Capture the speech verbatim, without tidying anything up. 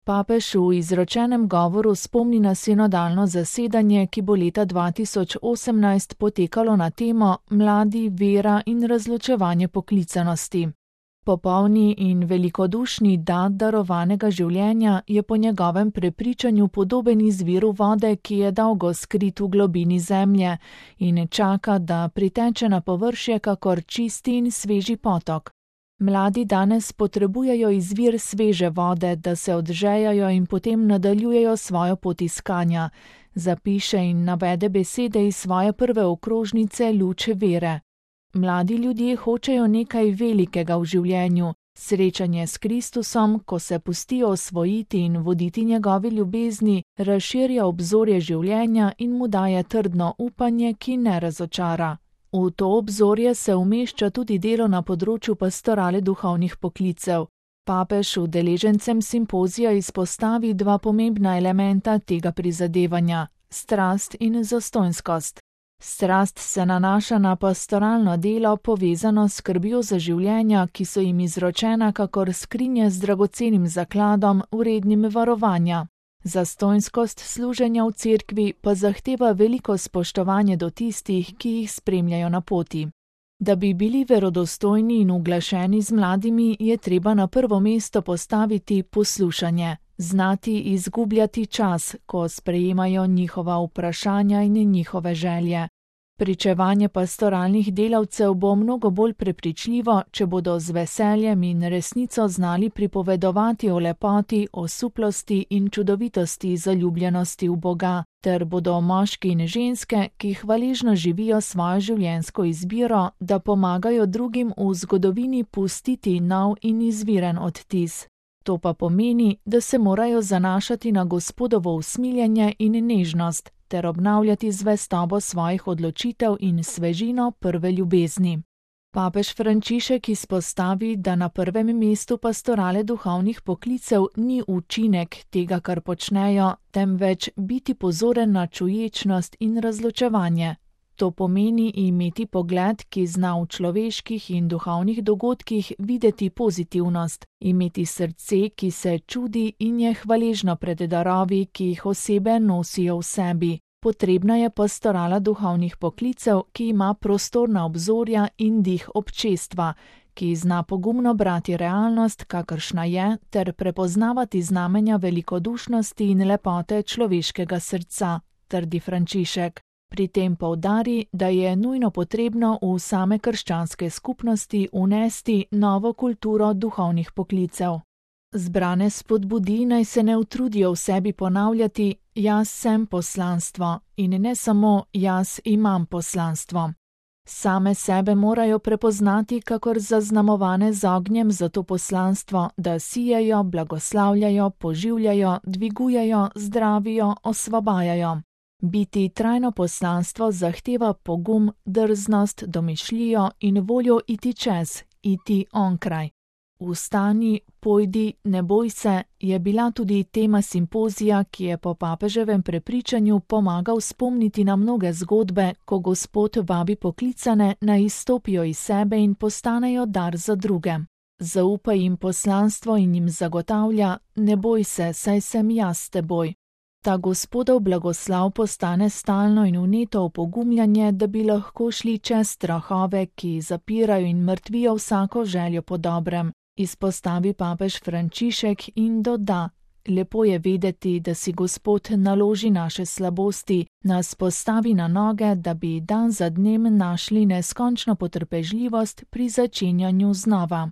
Papež v izročenem govoru spomni na sinodalno zasedanje, ki bo leta dva tisoč osemnajst potekalo na temo Mladi, vera in razločevanje poklicanosti. Popolni in velikodušni dar darovanega življenja je po njegovem prepričanju podoben izviru vode, ki je dolgo skrit v globini zemlje in čaka, da priteče na površje kakor čisti in sveži potok. Mladi danes potrebujejo izvir sveže vode, da se odžejajo in potem nadaljujejo svojo pot iskanja, zapiše in navede besede iz svoje prve okrožnice Luč vere. Mladi ljudje hočejo nekaj velikega v življenju, srečanje s Kristusom, ko se pustijo osvojiti in voditi njegovi ljubezni, razširja obzorje življenja in mu daje trdno upanje, ki ne razočara. V to obzorje se umešča tudi delo na področju pastorale duhovnih poklicev. Papež udeležencem simpozija izpostavi dva pomembna elementa tega prizadevanja: strast in zastonjskost. Strast se nanaša na pastoralno delo, povezano s skrbjo za življenja, ki so jim izročena kakor skrinje z dragocenim zakladom, vrednim varovanja. Zastonjskost služenja v cerkvi pa zahteva veliko spoštovanje do tistih, ki jih spremljajo na poti. Da bi bili verodostojni in uglašeni z mladimi, je treba na prvo mesto postaviti poslušanje, znati izgubljati čas, ko sprejemajo njihova vprašanja in njihove želje. Pričevanje pastoralnih delavcev bo mnogo bolj prepričljivo, če bodo z veseljem in resnico znali pripovedovati o lepoti, osuplosti in čudovitosti zaljubljenosti v Boga, ter bodo moški in ženske, ki hvaležno živijo svojo življenjsko izbiro, da pomagajo drugim v zgodovini pustiti nov in izviren odtis. To pa pomeni, da se morajo zanašati na Gospodovo usmiljenje in nežnost, ter obnavljati zvestobo svojih odločitev in svežino prve ljubezni. Papež Frančišek izpostavi, da na prvem mestu pastorale duhovnih poklicev ni učinek tega, kar počnejo, temveč biti pozoren na čuječnost in razločevanje. To pomeni imeti pogled, ki zna v človeških in duhovnih dogodkih videti pozitivnost, imeti srce, ki se čudi in je hvaležno pred darovi, ki jih osebe nosijo v sebi. Potrebna je pastorala duhovnih poklicev, ki ima prostorna obzorja in dih občestva, ki zna pogumno brati realnost, kakršna je, ter prepoznavati znamenja velikodušnosti in lepote človeškega srca, trdi Frančišek. Pri tem poudari, da je nujno potrebno v same krščanske skupnosti unesti novo kulturo duhovnih poklicev. Zbrane spodbudi, naj se ne utrudijo v sebi ponavljati: jaz sem poslanstvo in ne samo jaz imam poslanstvo. Same sebe morajo prepoznati kakor zaznamovane z ognjem za to poslanstvo, da sijejo, blagoslavljajo, poživljajo, dvigujejo, zdravijo, osvobajajo. Biti trajno poslanstvo zahteva pogum, drznost, domišljijo in voljo iti čez, iti onkraj. Vstani, pojdi, ne boj se, je bila tudi tema simpozija, ki je po papeževem prepričanju pomagal spomniti na mnoge zgodbe, ko Gospod vabi poklicane, naj izstopijo iz sebe in postanejo dar za druge. Zaupa jim poslanstvo in jim zagotavlja: ne boj se, saj sem jaz s teboj. Ta Gospodov blagoslav postane stalno in vneto opogumljanje, da bi lahko šli čez strahove, ki zapirajo in mrtvijo vsako željo po dobrem, izpostavi papež Frančišek in doda: lepo je vedeti, da si Gospod naloži naše slabosti, nas postavi na noge, da bi dan za dnem našli neskončno potrpežljivost pri začenjanju znova.